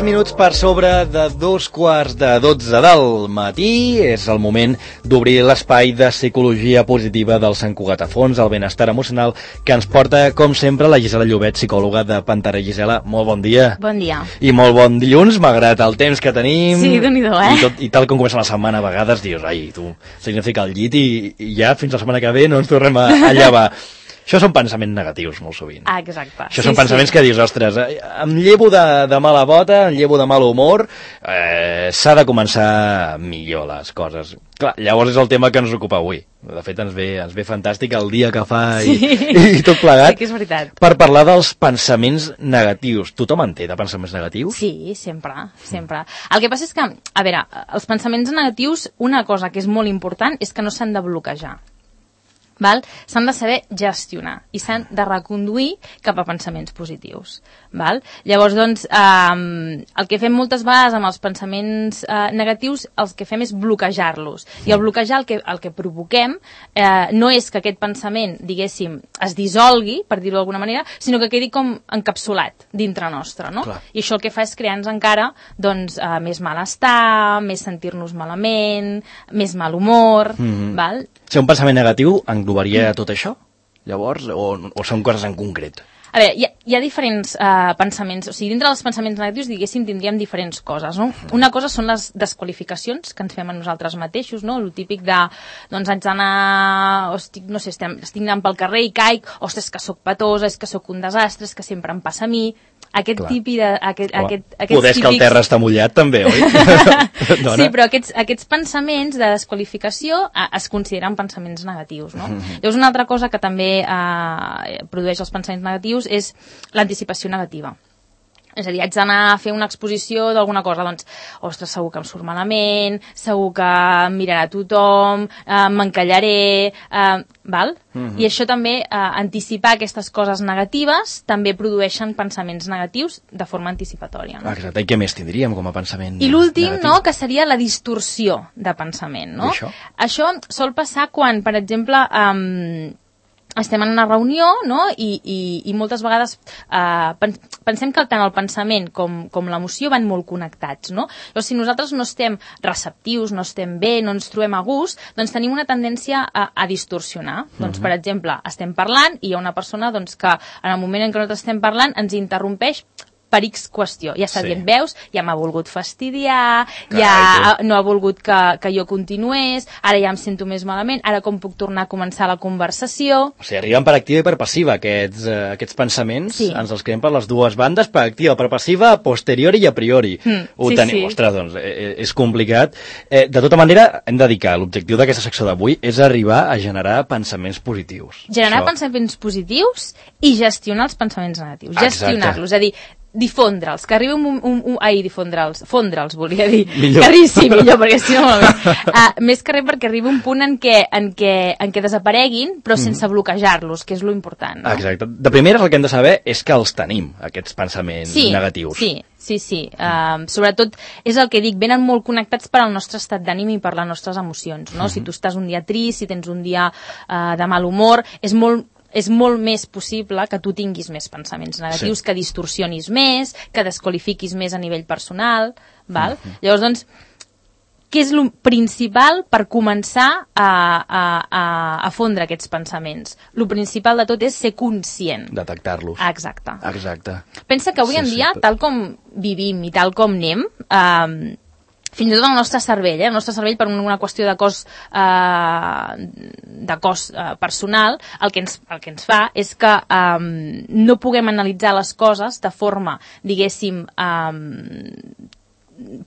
minuts per sobre de 2:45 del matí. És el moment d'obrir l'espai de psicologia positiva del Sant Cugat a Fons, el benestar emocional, que ens porta, com sempre, la Gisela Llobet, psicòloga de Pantera. Gisela, molt bon dia. Bon dia. I molt bon dilluns, malgrat el temps que tenim. Sí, Déu-n'hi-do, I tal com comença la setmana, a vegades dius, ai, tu, significa el llit i ja fins la setmana que ve no ens tornem a llevar. Això són pensaments negatius, molt sovint. Ah, exacte. Això són pensaments que dius, ostres, em llevo de mala bota, em llevo de mal humor, s'ha de començar millor les coses. Clar, llavors és el tema que ens ocupa avui. De fet, ens ve fantàstic el dia que fa i tot plegat. Sí que és veritat. Per parlar dels pensaments negatius. Tothom en té de pensaments negatius? Sí, sempre. El que passa és que, a veure, els pensaments negatius, una cosa que és molt important és que no s'han de bloquejar. S'han de saber gestionar i s'han de reconduir cap a pensaments positius. Llavors, doncs, el que fem moltes vegades amb els pensaments negatius, el que fem és bloquejar-los. I al bloquejar el que provoquem no és que aquest pensament, diguéssim, es dissolgui, per dir-ho d'alguna manera, sinó que quedi com encapsulat dintre nostre, no? Clar. I això el que fa és crear-nos encara doncs, més malestar, més sentir-nos malament, més mal humor, val? Si un pensament negatiu englobaria tot això, llavors, o són coses en concret? A veure, hi ha diferents pensaments, o sigui, dintre dels pensaments negatius, diguéssim, tindríem diferents coses, no? Una cosa són les desqualificacions que ens fem a nosaltres mateixos, no? El típic de, doncs haig d'anar, no sé, estic anant pel carrer i caic, ostres, que sóc petosa, és que sóc un desastre, és que sempre em passa a mi, aquest tipus de... Poder és que el terra està mullat, també, oi? Sí, però aquests pensaments de desqualificació es consideren pensaments negatius, no? Llavors, una altra cosa que també produeix els pensaments negatius és l'anticipació negativa. És a dir, haig d'anar a fer una exposició d'alguna cosa, doncs, ostres, segur que em surt malament, segur que em mirarà tothom, m'encallaré, val? I això també, anticipar aquestes coses negatives, també produeixen pensaments negatius de forma anticipatòria. No? Exacte, i què més tindríem com a pensament I l'últim, negatiu? no?, que seria la distorsió de pensament, no? I això? Això sol passar quan, per exemple, estem en una reunió, no?, i moltes vegades pensem que tant el pensament com l'emoció van molt connectats, no? Llavors, si nosaltres no estem receptius, no estem bé, no ens trobem a gust, doncs tenim una tendència a distorsionar. Doncs, per exemple, estem parlant i hi ha una persona doncs, que en el moment en què nosaltres estem parlant ens interrompeix per X qüestió. Ja està dient, veus, ja m'ha volgut fastidiar, ja no ha volgut que jo continués, ara ja em sento més malament, ara com puc tornar a començar la conversació? O sigui, arriben per activa i per passiva, aquests pensaments, ens els creem per les dues bandes, per activa, per passiva, a posteriori i a priori. Sí. Ostres, doncs, és complicat. De tota manera, hem de dir que l'objectiu d'aquesta secció d'avui és arribar a generar pensaments positius. Generar pensaments positius i gestionar els pensaments negatius. Gestionar-los, és a dir, difondre'ls, que arribi fondre'ls, volia dir. Millor. Que arribi, millor, perquè si no... més que res perquè arribi un punt en què desapareguin, però sense bloquejar-los, que és lo important. No? Exacte. De primeres el que hem de saber és que els tenim, aquests pensaments negatius. Sí. Sobretot, és el que dic, venen molt connectats per al nostre estat d'ànim i per les nostres emocions, no? Si tu estàs un dia trist, si tens un dia de mal humor, és molt més possible que tu tinguis més pensaments negatius, que distorsionis més, que desqualifiquis més a nivell personal, val? Llavors, doncs, què és el principal per començar a fondre aquests pensaments? El principal de tot és ser conscient. Detectar-los. Exacte. Pensa que avui en dia, tal com vivim i tal com anem, fins i tot el nostre cervell, el nostre cervell per una qüestió de cos personal, el que ens fa és que no puguem analitzar les coses de forma, diguéssim,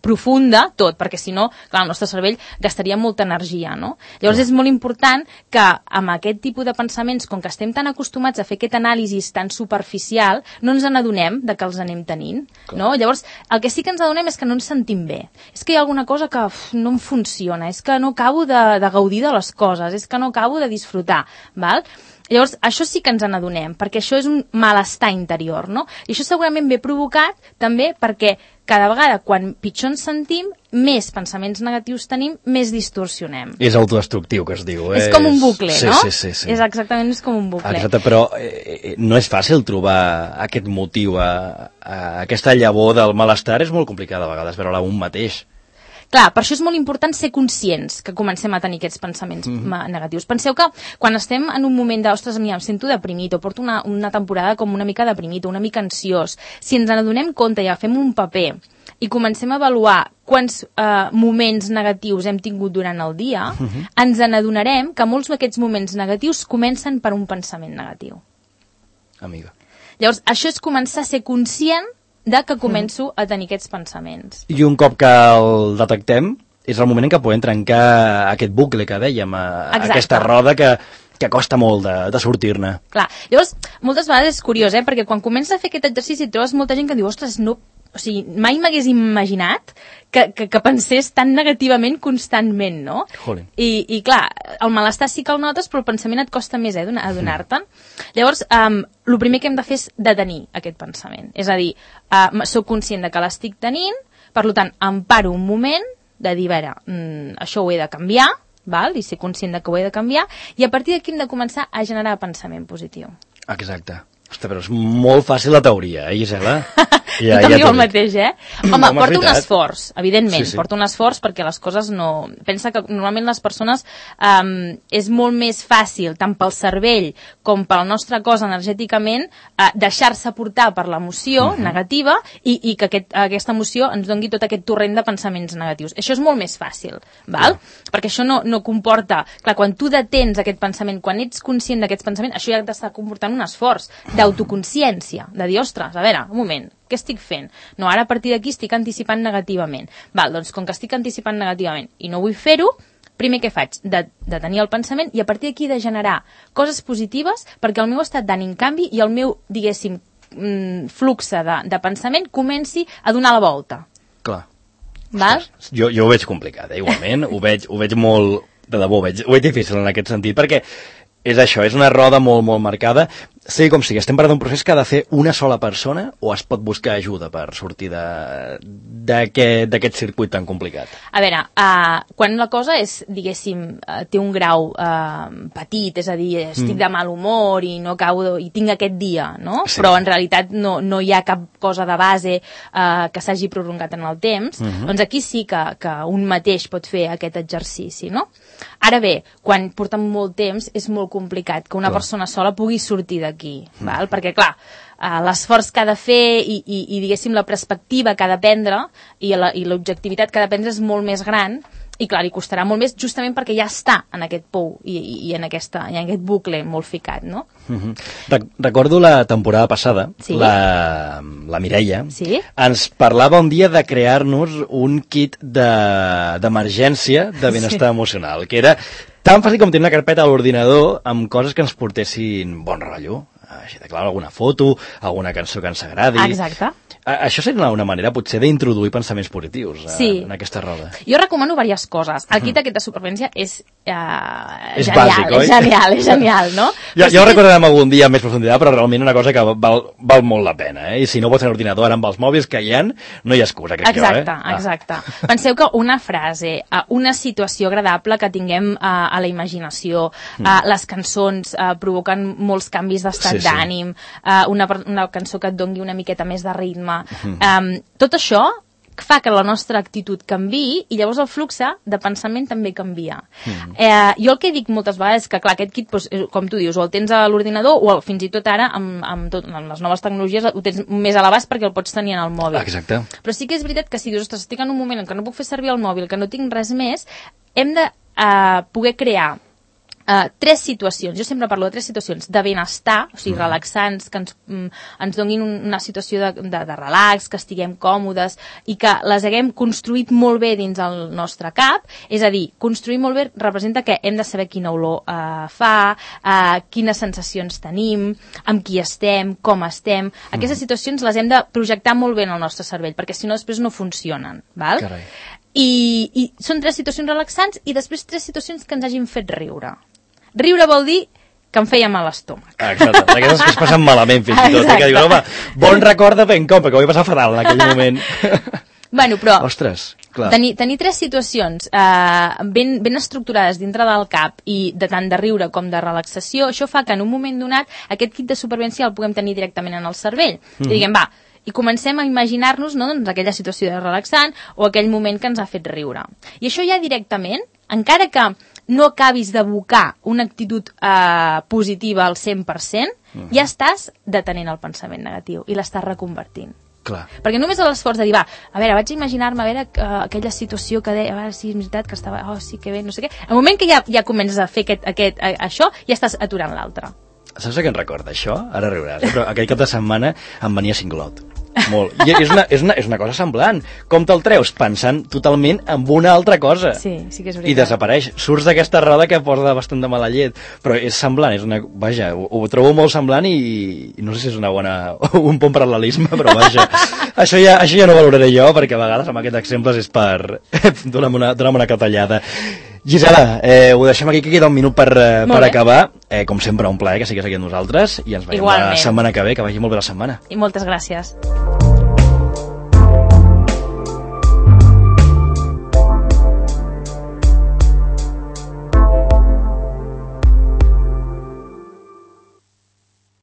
profunda, tot, perquè si no, clar, el nostre cervell gastaria molta energia, no? Llavors és molt important que amb aquest tipus de pensaments, com que estem tan acostumats a fer aquest anàlisi tan superficial, no ens n'adonem de que els anem tenint, no? Llavors, el que sí que ens adonem és que no ens sentim bé. És que hi ha alguna cosa que no em funciona, és que no acabo de gaudir de les coses, és que no acabo de disfrutar, val? Llavors, això sí que ens n'adonem, perquè això és un malestar interior, no? I això segurament ve provocat també perquè cada vegada, quan pitjor ens sentim, més pensaments negatius tenim, més distorsionem. És autodestructiu, que es diu. És com un bucle, no? Sí. És exactament com un bucle. Exacte, però no és fàcil trobar aquest motiu, aquesta llavor del malestar és molt complicada a vegades, veure-la un mateix. Clar, per això és molt important ser conscients que comencem a tenir aquests pensaments negatius. Penseu que quan estem en un moment de, ostres, em sento deprimit, o porto una temporada com una mica deprimit, o una mica ansiós, si ens n'adonem compte i agafem un paper i comencem a avaluar quants moments negatius hem tingut durant el dia, ens n'adonarem que molts d'aquests moments negatius comencen per un pensament negatiu. Amiga. Llavors, això és començar a ser conscient de que començo a tenir aquests pensaments. I un cop que el detectem, és el moment en què podem trencar aquest bucle que dèiem, aquesta roda que costa molt de sortir-ne. Clar, llavors, moltes vegades és curiós, perquè quan comences a fer aquest exercici trobes molta gent que diu, ostres, no, o sigui, mai m'hagués imaginat que pensés tan negativament constantment, no? I clar, el malestar sí que el notes, però el pensament et costa més, adonar-te'n. Llavors, el primer que hem de fer és detenir aquest pensament. És a dir, soc conscient de que l'estic tenint, per tant, em paro un moment de dir, a veure, això ho he de canviar, val? I ser conscient de que ho he de canviar, i a partir d'aquí hem de començar a generar pensament positiu. Exacte. Ostres, però és molt fàcil la teoria, Gisela? Tothom diu el mateix, Home, porta un esforç, evidentment, porta un esforç perquè les coses no... Pensa que normalment les persones és molt més fàcil, tant pel cervell com pel nostre cos energèticament, deixar-se portar per l'emoció negativa i que aquesta emoció ens doni tot aquest torrent de pensaments negatius. Això és molt més fàcil, val? Perquè això no comporta... Clar, quan tu detens aquest pensament, quan ets conscient d'aquests pensaments, això ja t'està comportant un esforç d'autoconsciència, de dir, ostres, a veure, un moment, què estic fent? No, ara a partir d'aquí estic anticipant negativament. Val, doncs com que estic anticipant negativament i no vull fer-ho, primer què faig? De tenir el pensament i a partir d'aquí de generar coses positives perquè el meu estat d'ànim canvi i el meu, diguéssim, flux de pensament comenci a donar la volta. Clar. Val? Ostres, jo ho veig complicat, igualment. ho veig molt... De debò, ho veig difícil en aquest sentit, perquè és això, és una roda molt, molt marcada. Sigui com sigui, estem parlant d'un procés que ha de fer una sola persona o es pot buscar ajuda per sortir d'aquest circuit tan complicat? A veure, quan la cosa és, diguéssim, té un grau petit, és a dir, estic de mal humor i no acabo i tinc aquest dia, no? Sí. Però en realitat no hi ha cap cosa de base que s'hagi prolongat en el temps, doncs aquí sí que un mateix pot fer aquest exercici, no? Ara bé, quan portem molt temps és molt complicat que una persona sola pugui sortir d'aquí, val? Perquè clar, l'esforç que ha de fer i diguéssim la perspectiva que ha de prendre i l'objectivitat que ha de prendre és molt més gran i clar, li costarà molt més justament perquè ja està en aquest pou i en aquest bucle molt ficat, no? Recordo la temporada passada, la Mireia ens parlava un dia de crear-nos un kit d'emergència de benestar emocional, que era tan fàcil com tenir una carpeta a l'ordinador amb coses que ens portessin bon rotllo. Així de clar, alguna foto, alguna cançó que ens agradi. Exacte. Això seria una manera, potser, d'introduir pensaments positius en aquesta roda. Jo recomano diverses coses. El kit aquest de supervivència és genial, bàsic, oi? És genial, no? Ja ho recordarem algun dia amb més profunditat, però realment una cosa que val molt la pena, I si no pots tenir ordinador ara amb els mòbils que hi ha, no hi ha excusa, crec jo, Exacte. Penseu que una frase, una situació agradable que tinguem a la imaginació, les cançons provoquen molts canvis d'estat d'ànim, una cançó que et doni una miqueta més de ritme, tot això fa que la nostra actitud canviï i llavors el flux de pensament també canvia. Jo el que dic moltes vegades és que, clar, aquest kit, com tu dius, o el tens a l'ordinador o fins i tot ara, amb les noves tecnologies, ho tens més a l'abast perquè el pots tenir en el mòbil. Exacte. Però sí que és veritat que si dius, ostres, estic en un moment en què no puc fer servir el mòbil, que no tinc res més, hem de poder crear tres situacions, jo sempre parlo de tres situacions de benestar, o sigui, relaxants, que ens donin una situació de relax, que estiguem còmodes i que les haguem construït molt bé dins el nostre cap, és a dir, construir molt bé representa que hem de saber quina olor fa, quines sensacions tenim, amb qui estem, com estem. Aquestes situacions les hem de projectar molt bé en el nostre cervell, perquè si no després no funcionen, val? Carai. I són tres situacions relaxants i després tres situacions que ens hagin fet riure. Riure vol dir que em feia mal l'estómac. Exacte, d'aquestes que es passen malament fins i tot. Que dius, home, bon record de Pencom, perquè ho vaig passar fatal en aquell moment. Bueno, però Ostres, clar. tenir tres situacions ben estructurades dintre del cap i de tant de riure com de relaxació, això fa que en un moment donat aquest kit de supervivència el puguem tenir directament en el cervell. I diguem, va, i comencem a imaginar-nos, no, doncs, aquella situació de relaxant o aquell moment que ens ha fet riure. I això ja directament, encara que no acabis d'evocar una actitud positiva al 100%, ja estàs detenent el pensament negatiu i l'estàs reconvertint. Clar. Perquè només l'esforç de dir, va, a veure, vaig imaginar-me, a veure, aquella situació que deia, a veure, sí, és veritat que estava, oh, sí, que bé, no sé què. El moment que ja comences a fer això, ja estàs aturant l'altre. Saps a què em recorda això? Ara riuràs, però aquell cap de setmana em venia cinglot. Molt. I és una cosa semblant. Com te'l treus? Pensant totalment en una altra cosa. Sí, sí que és veritat. I desapareix. Surts d'aquesta roda que porta bastant de mala llet. Però és semblant, vaja, ho trobo molt semblant i no sé si és un bon paral·lelisme, però vaja. Això ja no valoraré jo, perquè a vegades amb aquests exemples és per donar-me una catallada. Gisela, ho deixem aquí, que queda un minut per acabar. Com sempre, un plaer que siguis aquí amb nosaltres i ens veiem la setmana que ve, que vagi molt bé la setmana. I moltes gràcies.